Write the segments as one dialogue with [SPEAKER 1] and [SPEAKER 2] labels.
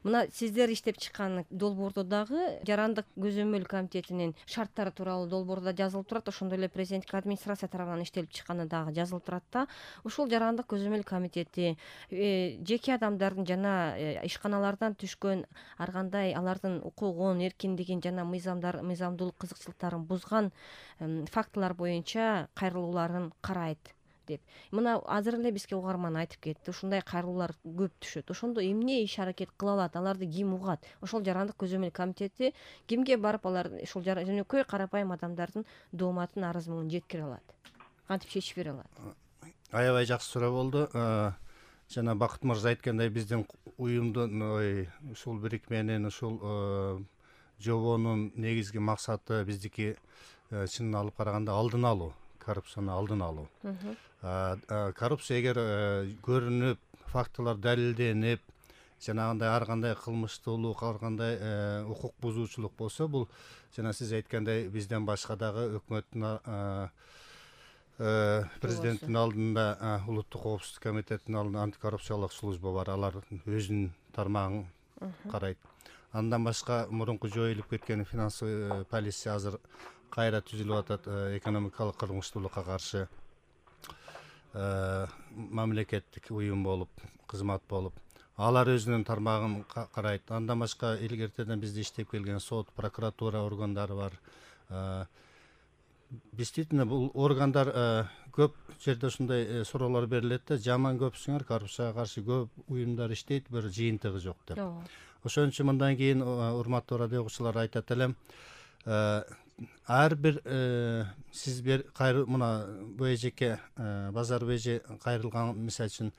[SPEAKER 1] Мына сиздер иштеп чыккан долбоордо дагы жарандык көзөмөл комитетинин шарттары тууралуу долбоордо жазылып турат, ошондой эле президенттик администрация тарабынан иштелип чыкканы дагы жазылып турат да. Ушул жарандык көзөмөл комитети жеке адамдардын жана ишканалардан түшкөн ар кандай алардын укугун, эркиндигин жана мыйзамдуулук кызыкчылыктарын бузган фактылар боюнча кайрылууларын карайт деп. Мына азыр эле бизге угарман айтып кетти, ушундай кайрылуулар көп түшөт. Ошондо эмне иш аракет кыла алат, аларды ким угат? Ошол жарандык көзөмөл комитети кимге барып алар ушул жөнөкөй карапайым адамдардын дооматын, арыз муңун жеткире алат, кантип чечип бере алат?
[SPEAKER 2] Аябай жакшы суроо болду. Жана Бакыт мырза айткандай, биздин уюмдун ушул бирикменин, ушул жобонун негизги максаты биздики чынын алып караганда алдын алуу, коррупцияны алдын алуу. Коррупция эгер көрүнүп, фактылар далилденип, жанагындай ар кандай кылмыштуулук, ар кандай укук бузуучулук болсо, бул жана сиз айткандай бизден башка дагы өкмөттүн президенттин алдында улуттук коопсуздук комитетинин алдында антикоррупциялык служба бар, алар өзүнүн тармагын карайт. Андан башка мурунку жоюлуп кеткен финансовый полиция азыр кайра түзүлүп атат, экономикалык кылмыштуулукка каршы мамлекеттик уюм болуп, кызмат болуп, алар өзүнүн тармагын карайт. Андан башка илгертеден бизде иштеп келген сот, прокуратура органдары бар. Действительно, бул органдар көп жерде ушундай суроолор берилет да, жаман көпсүңөр, коррупцияга каршы көп уюмдар иштейт, бир жыйынтыгы жок деп. Ошон үчүн мындан кийин урматтуу радио угуучулар айтат элем, ар бир сиз мына БЖК базар БЖ кайрылган, мисалы үчүн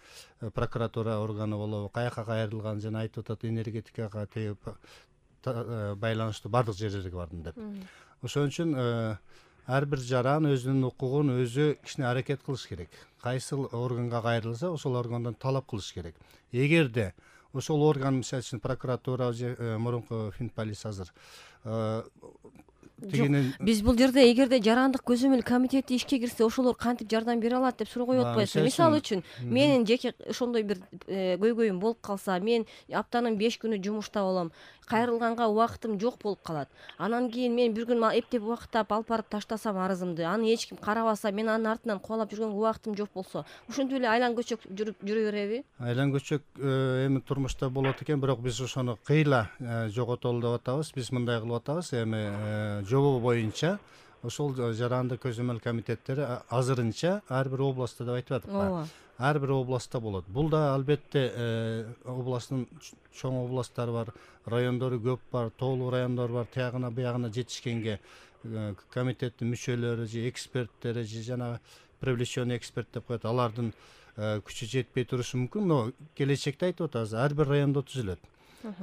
[SPEAKER 2] прокуратура органы болобу, каяка кайрылган, жана айтып атат энергетикага байланыштуу бардык жерлерге бардым деп. Ошон үчүн ар бир жаран өзүнүн укугун өзү кичине аракет кылыш керек. Кайсыл органга кайрылса, ошол органдан талап кылыш керек. Эгерде ошол орган, мисалы үчүн прокуратура же мурунку Финполис азыр
[SPEAKER 1] биз бул жерде эгерде жарандык көзөмөл комитети ишке кирсе, ошолор кантип жардам бере алат деп суроо коюп атпайсызбы? Мисалы үчүн, менин жеке ошондой бир көйгөйүм болуп калса, мен аптанын 5 күнү жумушта болом, кайрылганга убактым жок болуп калат. Анан кийин мен бир күн эптеп убактап алып барып таштасам арызымды, аны эч ким карабаса, мен анын артынан кубалап жүргөнгө убактым жок болсо, ушинтип эле айлан көчөк жүрө береби? Айлан көчөк
[SPEAKER 2] эми турмушта болот экен, бирок биз ошону кыйла жоготолу деп атабыз. Биз мындай кылып атабыз, эми жобо боюнча ошол жарандык көзөмөл комитеттери азырынча ар бир областта деп айтып атып, ар бир областта болот. Бул да албетте областтын чоң областтары бар, райондору көп бар, тоолуу райондор бар. Тиягына буягына жетишкенге комитеттин мүчөлөрү же эксперттери же жана привлеченный эксперт деп коет, алардын күчү жетпей турушу мүмкүн, но келечекте айтып атабыз, ар бир райондо түзүлөт.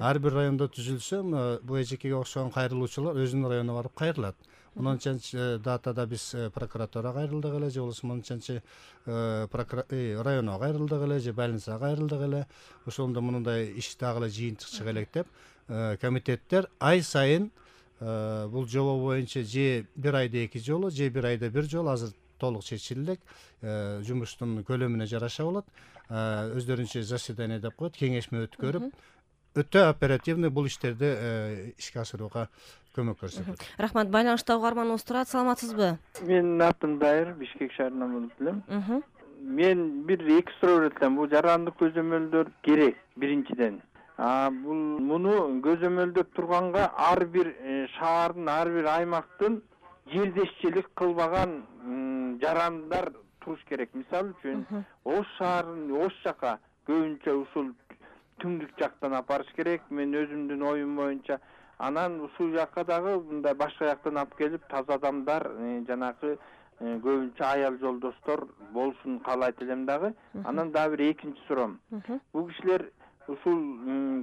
[SPEAKER 2] Ар бир райондо түзүлсө, БЖКге окшогон кайрылуучулар өзүнүн районуна барып кайрылат. Мынчанчы датада биз прокуратурага кайрылдык эле, же болбосо мынчанчы районго кайрылдык эле, же больницага кайрылдык эле. Ошондо мындай иш дагы эле жыйынтык чыга элек деп, комитеттер ай сайын бул жобо боюнча же бир айда 2 жолу, же бир айда 1 жолу, азыр толук чечилдик, жумуштун көлөмүнө жараша болот. Өздөрүнчө заседание деп коет, кеңешме өткөрүп, өтө оперативный бул иштерди ишке ашырууга көмөк көрсөтөт.
[SPEAKER 1] Рахмат. Байланышта угарманыбыз турат. Саламатсызбы?
[SPEAKER 3] Менин атым Дайыр, Бишкек шаарынан болуп элем. Мен бир 2 суроо берет элем. Бул жарандык көзөмөлдөр керек биринчиден. Муну көзөмөлдөп турганга ар бир шаардын, ар бир аймактын жердешчилик кылбаган жарандар туруш керек. Мисалы үчүн, Ош шаарын, Ош жака көбүнчө ушул түндүк жактан апарыш керек. Мен өзүмдүн оюм боюнча. Анан ушул жакка дагы мындай башка жактан алып келип, таза адамдар, жанагы көбүнчө аял жолдоштор болушун каалайт элем дагы. Анан дагы бир экинчи суроом. Бул кишилер ушул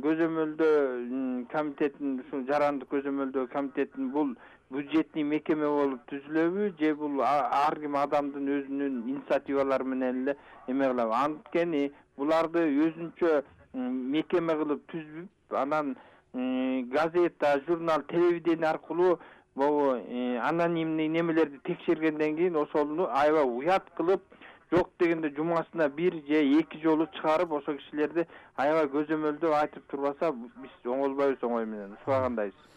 [SPEAKER 3] көзөмөлдөө комитеттин, ушул жарандык көзөмөлдөө комитеттин бул бюджетный мекеме болуп түзүлөбү, же бул ар ким адамдын өзүнүн инициативалары менен эле эме кылабы? Анткени буларды өзүнчө мекеме кылып түзүп, анан газета, журнал, телевидение аркылуу анонимный немелерди текшергенден кийин ошону аябай уят кылып, жок дегенде жумасына 1 же 2 жолу чыгарып ошол кишилерди аябай көзөмөлдөп айтып турбаса биз оңолбойбуз оңой менен. Ушуга кандайсыз?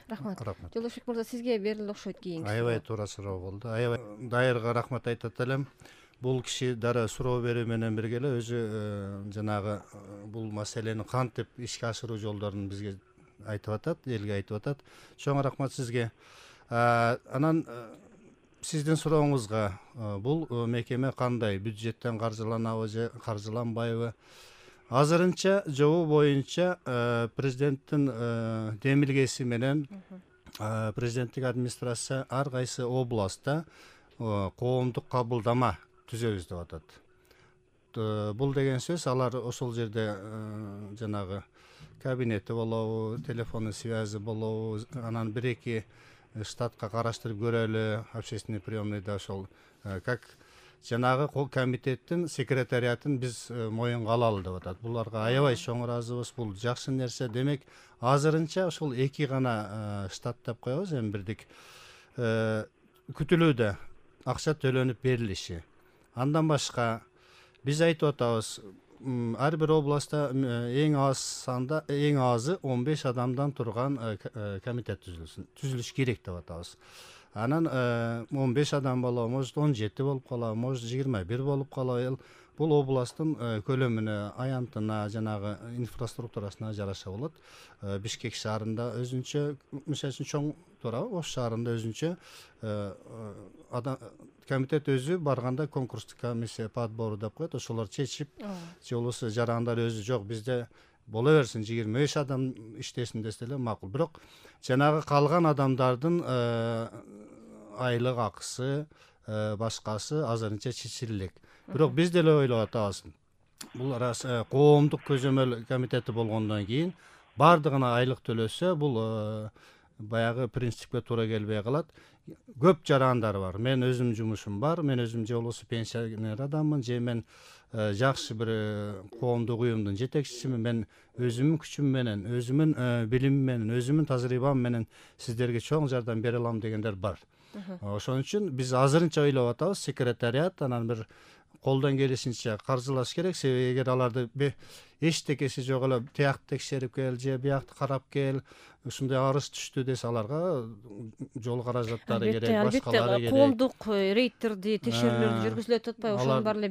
[SPEAKER 1] Рахмат. Жолдошбек мырза, сизге берилди окшойт кийинки.
[SPEAKER 2] Аябай туура суроо болду. Аябай Дайырга рахмат айтат элем. Бул киши дары суроо берүү менен бирге эле өзү жанагы бул маселени кантип ишке ашыруу жолдорун бизге айтып атат, элге айтып атат. Чоң рахмат сизге. Анан сиздин сурооңузга бул мекеме кандай, бюджеттен каржыланабы же каржыланбайбы? Азырынча жобо боюнча президенттин демилгеси менен президенттик администрация ар кайсы областта коомдук кабылдама түзөбүз деп атат. Бул деген сөз алар ошол жерде жанагы кабинети болобу, телефонный связи болобу, анан 1-2 штатка караштырып көрөлү, общественный приемныйда ошол как жанагы комитеттин секретариатын биз моюнга алалы деп атат. Буларга аябай чоң ыраазыбыз. Бул жакшы нерсе. Демек, азырынча ошол 2 гана штат деп коебуз, эми бирдик күтүлүүдө акча төлөнүп берилиши. Андан башка биз айтып атабыз, ар бир областта эң азы 15 адамдан турган комитет түзүлүш керек деп атабыз. Анан 15 адам болобу, может 17 болуп калабы, может 21 болуп калабы. Бул областтын көлөмүнө, аянтына, жанагы инфраструктурасына жараша болот. Бишкек шаарында өзүнчө, мисалы үчүн чоң туурабы, Ош шаарында өзүнчө комитет өзү барганда конкурстук комиссия по отбору деп коет, ошолор чечип, же болбосо жарандар өзү жок бизде боло берсин 25 адам иштесин десе эле макул. Бирок жанагы калган адамдардын айлык акысы, башкасы азырынча чечилик. Бирок биз деле ойлоп атабыз. Бул коомдук көзөмөл комитети болгондон кийин бардыгына айлык төлөсө, бул баягы принципке туура келбей калат. Көп жарандар бар. Мен өзүм жумушум бар. Мен өзүм же болбосо пенсионер адаммын, же мен жакшы бир коомдук уюмдун жетекчисимин. Мен өзүмдүн күчүм менен, өзүмдүн билимим менен, өзүмдүн тажрыйбам менен сиздерге чоң жардам бере алам дегендер бар. Ошон үчүн биз азырынча ойлоп атабыз, секретариат анан бир колдон келишинче каржылаш керек. Себеби эгер аларды эчтекеси жок эле тиякты текшерип кел, же биякты карап кел, ушундай арыз түштү десе аларга жол каражаттары керек, башкалары керек.
[SPEAKER 1] Коомдук рейдтерди, текшерүүлөрдү жүргүзүлүп атпайбы? Ошонун баары эле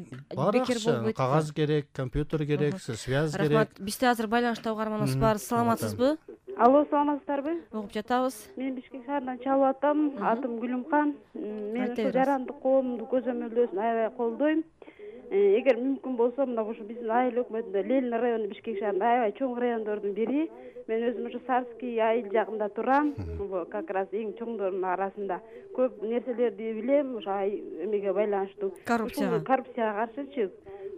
[SPEAKER 1] бекер болбойт.
[SPEAKER 2] Кагаз керек, компьютер керек, связь керек.
[SPEAKER 1] Рахмат. Бизде азыр байланышта угарманыбыз бар. Саламатсызбы?
[SPEAKER 4] Алло, саламатсыздарбы?
[SPEAKER 1] Угуп жатабыз.
[SPEAKER 4] Мен Бишкек шаарынан чалып атам. Атым Гүлүмкан. Мен ошо жарандык коомдук көзөмөлдөөсүн аябай колдойм. Эгер мүмкүн болсо, мына ушу биздин айыл өкмөтүндө Ленин району Бишкек шаарында аябай чоң райондордун бири. Мен өзүм ушу Сарский айыл жагында турам. Как раз эң чоңдордун арасында көп нерселерди билем, ошо эмеге байланыштуу. Коррупцияга каршычы.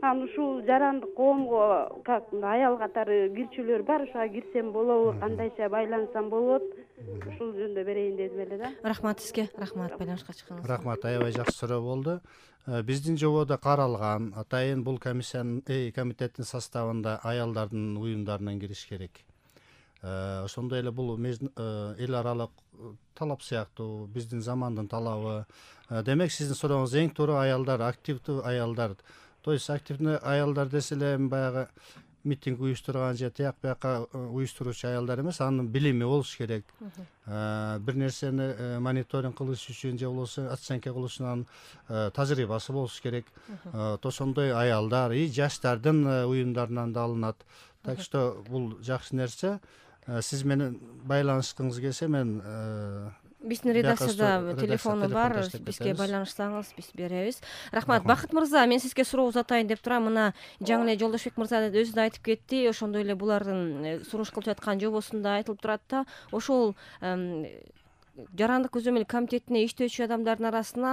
[SPEAKER 4] Анан ушул жарандык коомго как аял катары кирчүлөр бар, ошого кирсем болобу, кандайча байлансам болот? Ушул жөнүндө берейин дедим эле да.
[SPEAKER 1] Рахмат сизге. Рахмат байланышка чыкканыңызга.
[SPEAKER 2] Рахмат, аябай жакшы суроо болду. Биздин жободо каралган, атайын бул комитеттин составында аялдардын уюмдарынан кириш керек. Ошондой эле бул эл аралык талап сыяктуу, биздин замандын талабы. Демек, сиздин сурооңуз эң туура аялдар, активдүү аялдар. То есть активный аялдар десе эле баягы митинг уюштурган же тияк бияка уюштуруучу аялдар эмес, анын билими болуш керек. Бир нерсени мониторинг кылыш үчүн же болбосо оценка кылыш үчүн тажрыйбасы болуш керек. Ошондой аялдар и жаштардын уюмдарынан да алынат. Так что бул жакшы нерсе. Сиз менен байланышкыңыз келсе, мен
[SPEAKER 1] биздин редакцияда телефону бар, бизге байланышсаңыз биз беребиз. Рахмат. Бакыт мырза, мен сизге суроо узатайын деп турам. Мына жаңы эле Жолдошбек мырза өзү да айтып кетти. Ошондой эле булардын сунуш кылып жаткан жобосунда айтылып турат да, ошол жарандык көзөмөл комитетине иштөөчү адамдардын арасына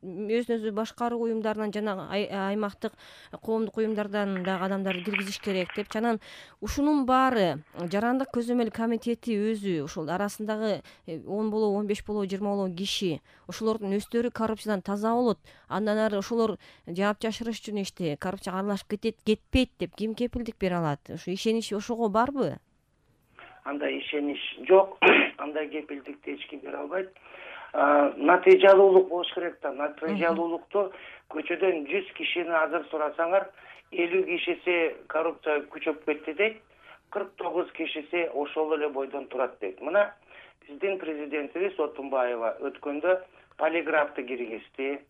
[SPEAKER 1] өзүн өзү башкаруу уюмдарынан жана аймактык коомдук уюмдардан дагы адамдарды киргизиш керек деп. Анан ушунун баары жарандык көзөмөл комитети өзү ошол арасындагы 10 болобу, 15 болобу, 20 болобу киши ошолордун өздөрү коррупциядан таза болот. Андан ары ошолор жаап жашырыш үчүн коррупцияга аралашып кетпейт деп ким кепилдик бере алат? Ушу ишенич ошого барбы?
[SPEAKER 5] Андай ишенич жок, андай кепилдикти эч ким бере албайт. натыйжалуулук болуш керек да. Натыйжалуулукту көчөдөн 100 кишини азыр сурасаңар, 50 кишиси коррупция күчөп кетти дейт, 49 кишиси ошол эле бойдон турат дейт. Мына биздин президентибиз Отунбаева өткөндө полиграфты киргизди.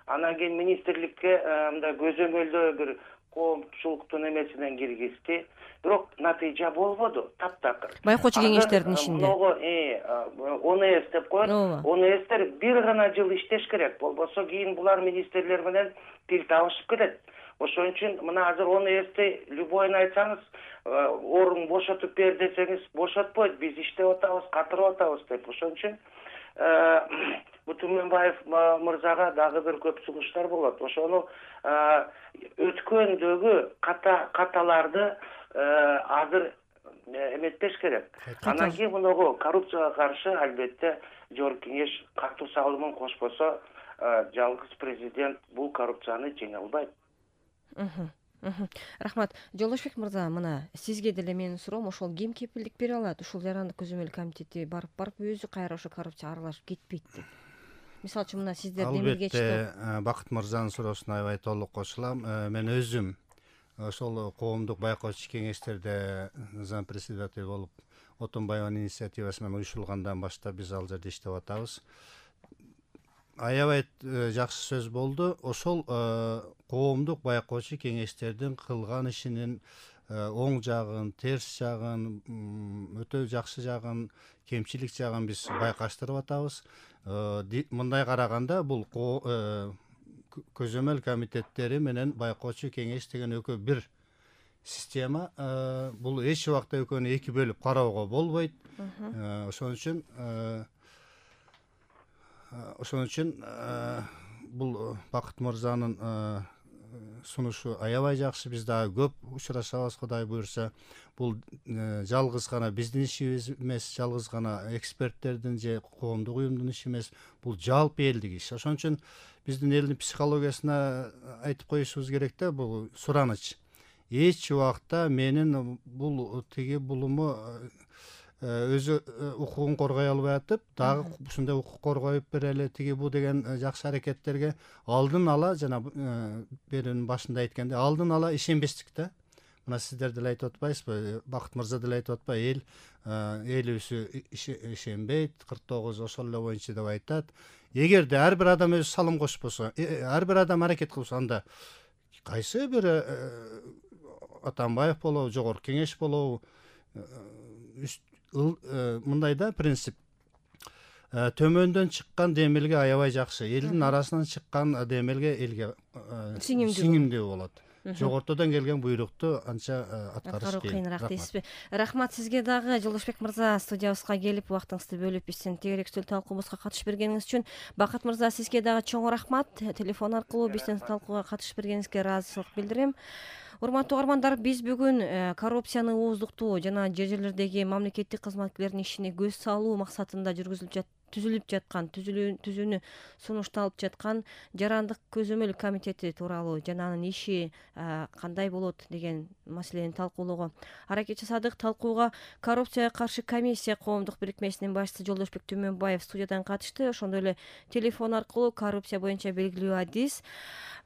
[SPEAKER 5] Анан кийин министрликке мындай көзөмөлдөө бир коомчулуктун эмесинен киргизди. Бирок натыйжа болбоду, таптакыр.
[SPEAKER 1] Байкоочу кеңештердин ишинде.
[SPEAKER 5] ОНС деп коет. ОНСтер бир гана жыл иштеш керек. Болбосо кийин булар министрлер менен тил табышып кетет. Ошон үчүн мына азыр ОНСти любойун айтсаңыз, орун бошотуп бер десеңиз, бошотпойт. Биз иштеп атабыз, катырып атабыз деп. Ошон үчүн Түмөнбаев мырзага дагы бир көп сунуштар болот. Ошону өткөндөгү каталарды азыр эметпеш керек. Анан кийин мунугу коррупцияга каршы албетте Жогорку Кеңеш катуу салымын кошпосо, жалгыз президент бул коррупцияны жеңе албайт.
[SPEAKER 1] Рахмат. Жолдошбек мырза, мына сизге деле менин суроом, ошол ким кепилдик бере алат? Ушул жарандык көзөмөл комитети барып өзү кайра ошо коррупцияга аралашып кетпейт деп. Мисалы үчүн мына сиздер демилгечти.
[SPEAKER 2] Албетте, Бакыт мырзанын суроосуна аябай толук кошулам. Мен өзүм ошол коомдук байкоочу кеңештерде зам председатель болуп, Отунбаеванын инициативасы менен уюшулгандан баштап биз ал жерде иштеп атабыз. Аябай жакшы сөз болду. Ошол коомдук байкоочу кеңештердин кылган ишинин оң жагын, терс жагын, өтө жакшы жагын, кемчилик жагын биз байкаштырып атабыз. Мындай караганда бул көзөмөл комитеттери менен байкоочу кеңеш деген экөө бир система. Бул эч убакта экөөнү эки бөлүп кароого болбойт. Ошон үчүн бул Бакыт мырзанын сунушу аябай жакшы. Биз дагы көп учурашабыз, Кудай буюрса. Бул жалгыз гана биздин ишибиз эмес, жалгыз гана эксперттердин же коомдук уюмдун иши эмес, бул жалпы элдик иш. Ошон үчүн биздин элдин психологиясына айтып коюшубуз керек да, бул сураныч. Эч убакта менин бул булуму өзү укугун коргой албай атып, дагы ушундай укук коргоюп берели бу деген жакшы аракеттерге алдын ала, жана берүүнүн башында айткандай, алдын ала ишенбестик да. Мына сиздер деле айтып атпайсызбы, Бакыт мырза деле айтып атпайбы, элибизү ишенбейт, 49 ошол эле боюнча деп айтат. Эгерде ар бир адам өзү салым кошпосо, ар бир адам аракет кылса, анда кайсы бир Атамбаев болобу, Жогорку Кеңеш болобу, мындай да принцип. Төмөндөн чыккан демилге аябай жакшы, элдин арасынан чыккан демилге элге сиңимдүү болот. Жогортодон келген буйрукту анча аткарыш
[SPEAKER 1] кыйыныраак дейсизби? Рахмат сизге дагы, Жолдошбек мырза, студиябызга келип убактыңызды бөлүп биздин тегерек үстөл талкуубузга катышып бергениңиз үчүн. Бакыт мырза, сизге дагы чоң рахмат. Телефон аркылуу биздин талкууга катышып бергениңизге ыраазычылык билдирем. Урматтуу угармандар, биз бүгүн коррупцияны ооздуктоо жана жер жерлердеги мамлекеттик кызматкерлердин ишине көз салуу максатында түзүлүп жаткан, түзүүнү сунушталып жаткан жарандык көзөмөл комитети тууралуу жана анын иши кандай болот деген маселени талкуулоого аракет жасадык. Талкууга коррупцияга каршы комиссия коомдук бирикмесинин башчысы Жолдошбек Түмөнбаев студиядан катышты. Ошондой эле телефон аркылуу коррупция боюнча белгилүү адис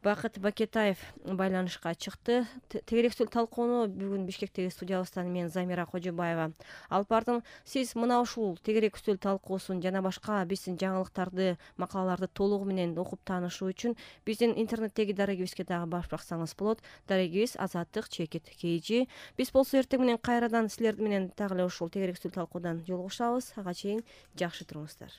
[SPEAKER 1] Бакыт Бакетаев байланышка чыкты. Тегерек үстөл талкууну бүгүн Бишкектеги студиябыздан мен Замира Кожобаева алып бардым. Сиз мына ушул тегерек үстөл талкуусун жана башка биздин жаңылыктарды, макалаларды толугу менен окуп таанышуу үчүн биздин интернеттеги дарегибизге дагы барып баксаңыз болот. Дарегибиз Азаттык _KG. Биз болсо эртең менен кайрадан силер менен дагы эле ушул тегерек үстөл талкуудан жолугушабыз. Ага чейин жакшы туруңуздар.